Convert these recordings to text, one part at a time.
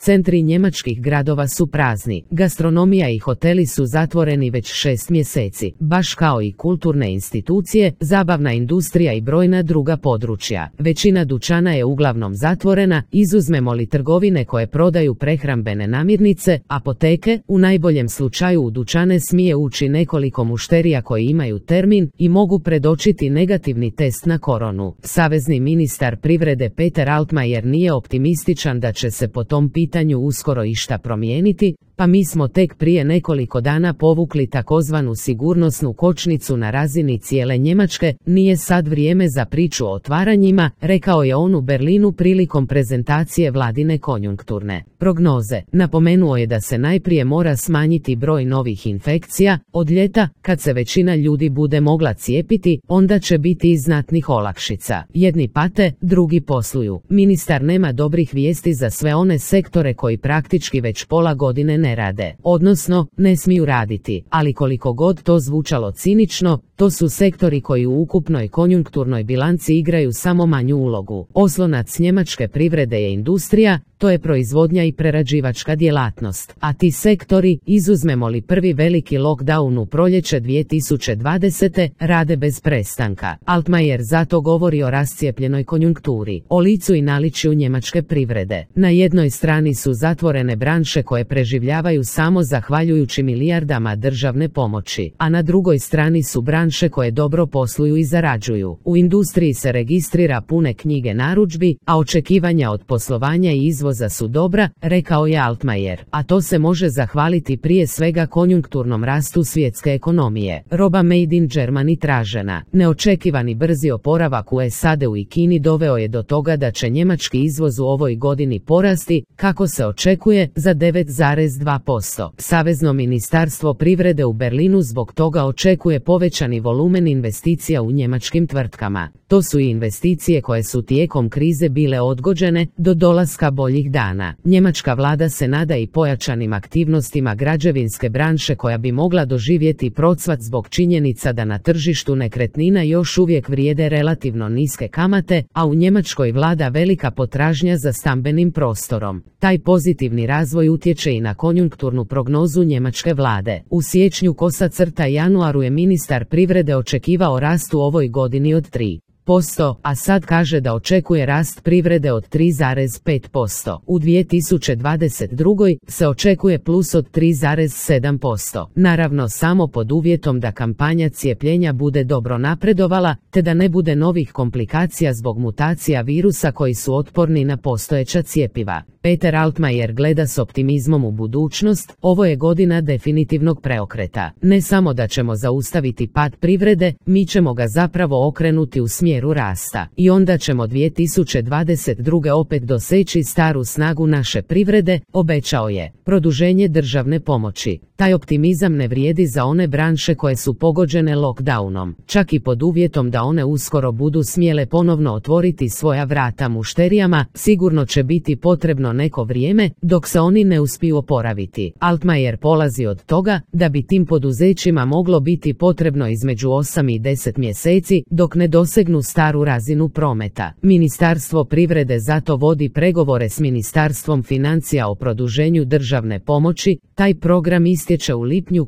Centri njemačkih gradova su prazni, gastronomija i hoteli su zatvoreni već 6 mjeseci, baš kao i kulturne institucije, zabavna industrija i brojna druga područja. Većina dućana je uglavnom zatvorena, izuzmemo li trgovine koje prodaju prehrambene namirnice, apoteke, u najboljem slučaju u dućane smije ući nekoliko mušterija koji imaju termin i mogu predočiti negativni test na koronu. Savezni ministar privrede Peter Altmaier nije optimističan da će se po tom pitanju uskoro išta promijeniti, pa mi smo tek prije nekoliko dana povukli takozvanu sigurnosnu kočnicu na razini cijele Njemačke, nije sad vrijeme za priču o otvaranjima, rekao je on u Berlinu prilikom prezentacije vladine konjunkturne prognoze. Napomenuo je da se najprije mora smanjiti broj novih infekcija, od ljeta, kad se većina ljudi bude mogla cijepiti, onda će biti i znatnih olakšica. Jedni pate, drugi posluju. Ministar nema dobrih vijesti za sve one sektore koji praktički već pola godine ne rade, odnosno ne smiju raditi, ali koliko god to zvučalo cinično, to su sektori koji u ukupnoj konjunkturnoj bilanci igraju samo manju ulogu. Oslonac njemačke privrede je industrija, to je proizvodnja i prerađivačka djelatnost, a ti sektori, izuzmemo li prvi veliki lockdown u proljeće 2020. rade bez prestanka. Altmaier zato govori o rascijepljenoj konjunkturi, o licu i naličju njemačke privrede. Na jednoj strani su zatvorene branše koje preživljavaju samo zahvaljujući milijardama državne pomoći, a na drugoj strani su branše koje dobro posluju i zarađuju. U industriji se registrira pune knjige narudžbi, a očekivanja od poslovanja i izvoza su dobra, rekao je Altmaier, a to se može zahvaliti prije svega konjunkturnom rastu svjetske ekonomije. Roba made in Germany tražena. Neočekivani brzi oporavak u SAD-u i Kini doveo je do toga da će njemački izvoz u ovoj godini porasti, kako se očekuje, za 9,2%. Savezno ministarstvo privrede u Berlinu zbog toga očekuje povećani volumen investicija u njemačkim tvrtkama. To su i investicije koje su tijekom krize bile odgođene do dolaska boljih dana. Njemačka vlada se nada i pojačanim aktivnostima građevinske branše koja bi mogla doživjeti procvat zbog činjenica da na tržištu nekretnina još uvijek vrijede relativno niske kamate, a u Njemačkoj vlada velika potražnja za stambenim prostorom. Taj pozitivni razvoj utječe i na konjunkturnu prognozu njemačke vlade. U siječnju januaru je ministar privrede očekivao rast u ovoj godini od 3%, a sad kaže da očekuje rast privrede od 3,5%. U 2022. se očekuje plus od 3,7%. Naravno samo pod uvjetom da kampanja cijepljenja bude dobro napredovala, te da ne bude novih komplikacija zbog mutacija virusa koji su otporni na postojeća cjepiva. Peter Altmaier gleda s optimizmom u budućnost, ovo je godina definitivnog preokreta. Ne samo da ćemo zaustaviti pad privrede, mi ćemo ga zapravo okrenuti u smjeru rasta. I onda ćemo 2022. opet doseći staru snagu naše privrede, obećao je. Produženje državne pomoći. Taj optimizam ne vrijedi za one branše koje su pogođene lockdownom. Čak i pod uvjetom da one uskoro budu smjele ponovno otvoriti svoja vrata mušterijama, sigurno će biti potrebno neko vrijeme dok se oni ne uspiju oporaviti. Altmaier polazi od toga da bi tim poduzećima moglo biti potrebno između 8 i 10 mjeseci dok ne dosegnu staru razinu prometa. Ministarstvo privrede zato vodi pregovore s Ministarstvom financija o produženju državne pomoći. Taj program istječe u lipnju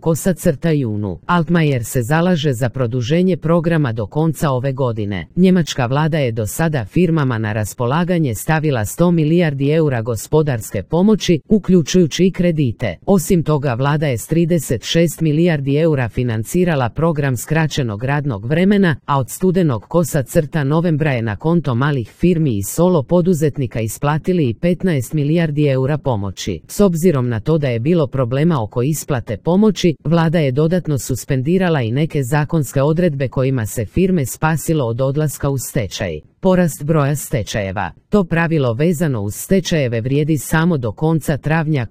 junu. Altmaier se zalaže za produženje programa do konca ove godine. Njemačka vlada je do sada firmama na raspolaganje stavila 100 milijardi eura gospodarske pomoći, uključujući i kredite. Osim toga vlada je s 36 milijardi eura financirala program skraćenog radnog vremena, a od studenog novembra je na konto malih firmi i solo poduzetnika isplatili i 15 milijardi eura pomoći. S obzirom na to da je bilo problema oko isplate pomoći, vlada je dodatno suspendirala i neke zakonske odredbe kojima se firme spasilo od odlaska u stečaj. Porast broja stečajeva. To pravilo vezano uz stečajeve vrijedi samo do konca travnja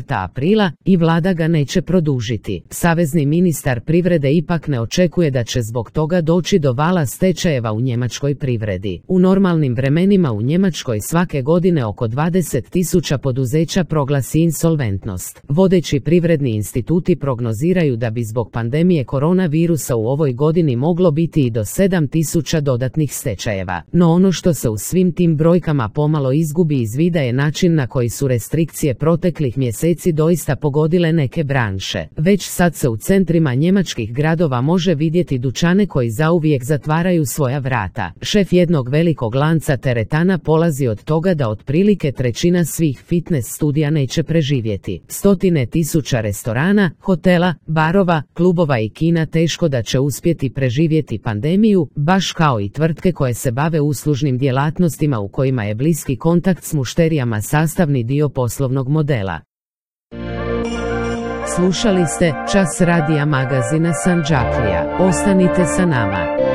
aprila i vlada ga neće produžiti. Savezni ministar privrede ipak ne očekuje da će zbog toga doći do vala stečajeva u njemačkoj privredi. U normalnim vremenima u Njemačkoj svake godine oko 20.000 poduzeća proglasi insolventnost. Vodeći privredni instituti prognoziraju da bi zbog pandemije koronavirusa u ovoj godini moglo biti i do 7.000 dodatnih stečajeva. No ono što se u svim tim brojkama pomalo izgubi iz vida je način na koji su restrikcije proteklih mjeseci doista pogodile neke branše. Već sad se u centrima njemačkih gradova može vidjeti dućane koji zauvijek zatvaraju svoja vrata. Šef jednog velikog lanca teretana polazi od toga da otprilike trećina svih fitness studija neće preživjeti. Stotine tisuća restorana, hotela, barova, klubova i kina teško da će uspjeti preživjeti pandemiju, baš kao i tvrtke koje se bave uslužnim djelatnostima u kojima je bliski kontakt s mušterijama sastavni dio poslovnog modela. Slušali ste Čas radija magazina Sandžaklija. Ostanite sa nama.